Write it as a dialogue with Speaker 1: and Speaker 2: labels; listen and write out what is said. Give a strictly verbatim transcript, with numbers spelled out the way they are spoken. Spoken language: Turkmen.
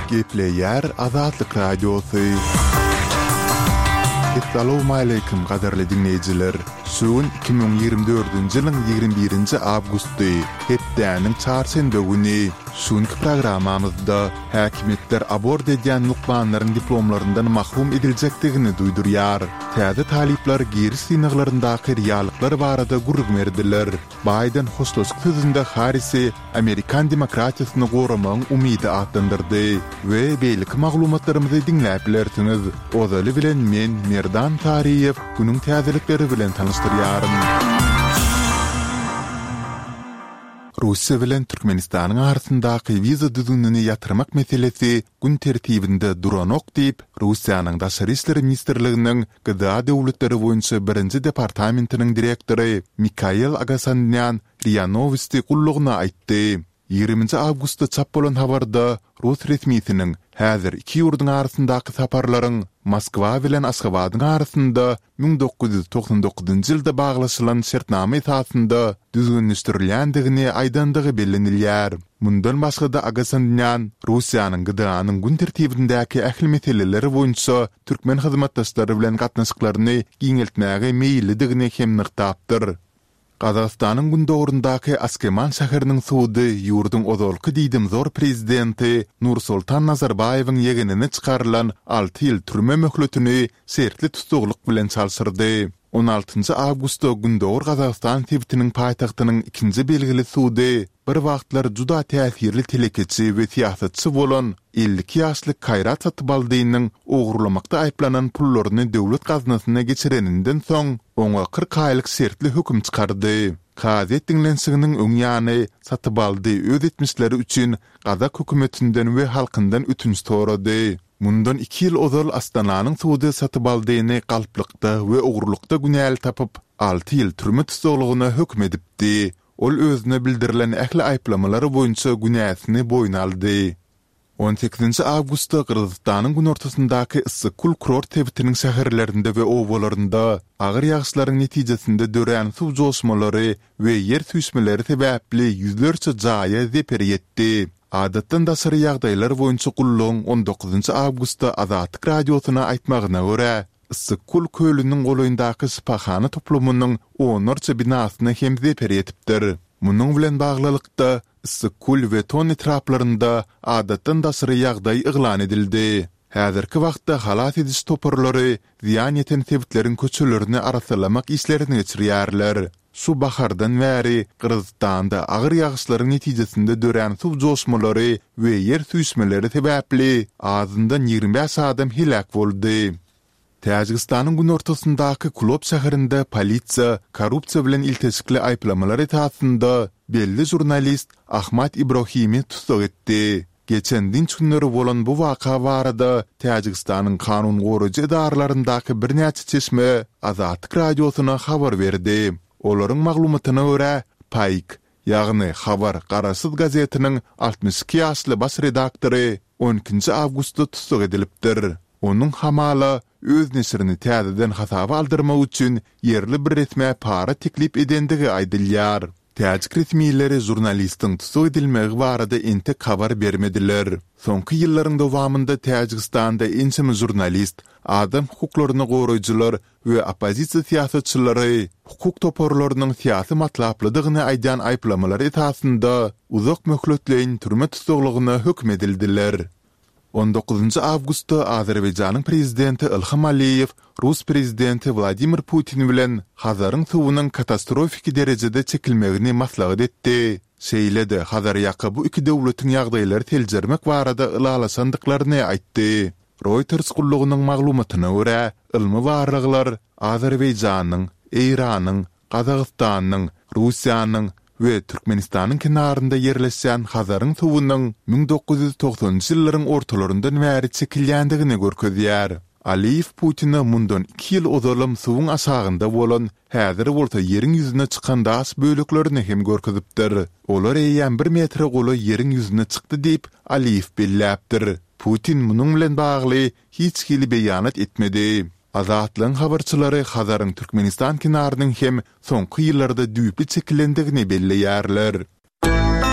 Speaker 1: Gepleýär Azatlyk Radiosy. Essalawmaleýkim gadyrly diňleýjiler! Şu gün iki müň ýigrimi dördünji ýylyň ýigrimi birinji awgusty, hepdäniň çarşenbe güni. Şu günki programmamyzda häkimiýetler abort edýän lukmanlaryň diplomlaryndan mahrum ediljekdigini duýdurýar. Täze talyplar giriş synaglaryndaky realyklar barada gürrüň berdiler. Baýden hoşlaşyk sözünde Harrisi amerikan demokratiýasyny goramagyň umydy atlandyrdy we beýleki maglumatlarymyzy diňläp bilersiňiz. Ozaly bilen men, Merdan Saryýew, günüň täzelikleri bilen tanyşdyrýaryn. Russiýa bilen Türkmenistanyň arasyndaky wiza düzgünini ýatyrmak meselesi gün tertibinde duranok diýip, Russiýanyň Daşary işler ministrliginiň G D A döwletleri boýunça birinji departamentiniň direktory Mikael Agasanýan R I A Nowosti gullugyna aýtdy. Ýigriminji awgustda çap bolan habarda rus resmisiniň häzir iki ýurduň arasyndaky saparlaryň Moskwa bilen Aşgabadyň arasynda müň dokuz ýüz togsan dokuzynjy ýylda baglaşylan şertnama esasynda düzgünleşdirilýändigini aýdandygy bellenilýär. Mundan başga-da Agasanýan Russiýanyň G D A-nyň gün tertibindäki ähli meseleleri boýunça türkmen hyzmatdaşlary bilen gatnaşyklaryny giňeltmäge meýillidigini hem nygtapdyr. Gazagystanyň gündogaryndaky Askeman şäheriniň sudy ýurduň ozalky diýdimzor prezidenti Nursultan Nazarbaýewiň ýegenine çykarylan alty ýyl türme möhletini şertli tussaglyk bilen çalşyrdy. On altynjy awgustda Gündogar Gazagystan sebitiniň paýtagtynyň ikinji belgili sudy bir wagtlar juda täsirli telekeçi we syýasatçy bolan elli iki ýaşly Kaýrat Satybaldynyň ogurlamakda aýyplanan pullaryny döwlet gaznasyna geçireninden soň, oňa kyrk aýlyk şertli höküm çykardy. Kazyýet diňlenişiginiň öň ýany Satybaldy öz etmişleri üçin gazak hökümetinden we halkyndan ötünç sorady. Mundan iki ýyl ozal Astananyň sudy Satybaldyny galplykda we ogurlykda günäli tapyp, alty ýyl türme tussaglygyna höküm edipdi. Ol özüne bildirilen ähli aýyplamalar boýunça günäsini boýun aldy. On sekizinji awgustda Gyrgyzystanyň günortasyndaky Issyk-Kul kurort sebitiniň şäherlerinde we obalarynda agyr ýagyşlaryň netijesinde dörän suw joşmalary we ýer süýşmeleri sebäpli ýüzlerçe jaýa zeper ýetdi. Adatdan daşary ýagdaýlar boýunça gullugyň on dokuzynjy awgustda Azatlyk Radiosyna aýtmagyna görä, Issyk-Kul kölüniň golaýyndaky şypahana toplumynyň onlarça binasyna hem zeper ýetipdir. Munuň bilen baglylykda, Issyk-Kul we Ton etraplarynda adatdan daşary ýagdaý yglan edildi. Häzirki wagtda halas ediş toparlary zyýan ýeten sebitleriň köçelerini arassalamak işlerini geçirýärler. Şu bahardan bäri Gyrgyzystanda agyr ýagyşlaryň netijesinde dörän suw joşmalary we ýer süýşmeleri sebäpli azyndan ýigrimi bäş adam heläk boldy. Täjigistanyň günortasyndaky Kulob şäherinde polisiýa korrupsiýa bilen ilteşikli aýyplamalar esasynda belli žurnalist Ahmad Ibrohimi tussag etdi. Geçen dynç günleri bolan bu waka barada Täjigistanyň kanun goraýjy edaralaryndaky birnäçe çeşme Azatlyk Radiosyna habar berdi. Olaryň maglumatyna görä, Paýk, ýagny Habar garaşsyz gazetiniň altmyş iki ýaşly baş redaktory on ikinji awgustda tussag edilipdir. Onuň hamala öz neşirini täzeden hasaba aldyrmak üçin ýerli bir resmä para teklip edendigi aýdylýar. Täjik resmileri žurnalistiň tussag edilmegi barada entek habar bermediler. Soňky ýyllaryň dowamynda Täjigistanda ençeme žurnalist, adam hukuklaryny goraýjylar we oppozisiýa syýasatçylary hukuk toparlarynyň syýasy matlaplydygyny aýdýan aýyplamalar esasynda uzak möhletleýin türme tussaglygyna höküm edildiler. On dokuzynjy awgustda Azerbaýjanyň prezidenti Ilham Aliýew rus prezidenti Wladimir Putin bilen Hazaryň suwunyň katastrofiki derejede çekilmegini maslahat etdi, şeýle-de Hazarýaka bu iki döwletiň ýagdaýlary seljermek barada ylalaşandyklaryny aýtdy. Reuters gullugynyň maglumatyna görä, ylmy barlaglar Azerbaýjanyň, Eýranyň, Gazagystanyň, Russiýanyň we Türkmenistanyň kenarynda ýerleşýän Hazaryň suwunyň müň dokuz ýüz togsanynjy ýyllaryň ortalaryndan bäri çekilýändigini görkezýär. Aliýew Putine mundan iki ýyl ozalam suwuň aşagynda bolan, häzir bolsa ýeriň ýüzüne çykan daş böleklerini hem görkezipdir. Olar eýýäm bir metre golaý ýeriň ýüzüne çykdy diýip, Aliýew belläpdir. Putin munuň bilen bagly hiç hili beýanat etmedi. Azatlygyň habarçylary Hazaryň Türkmenistan kenarynyň hem soňky ýyllarda düýpli çekilendigini belleýärler.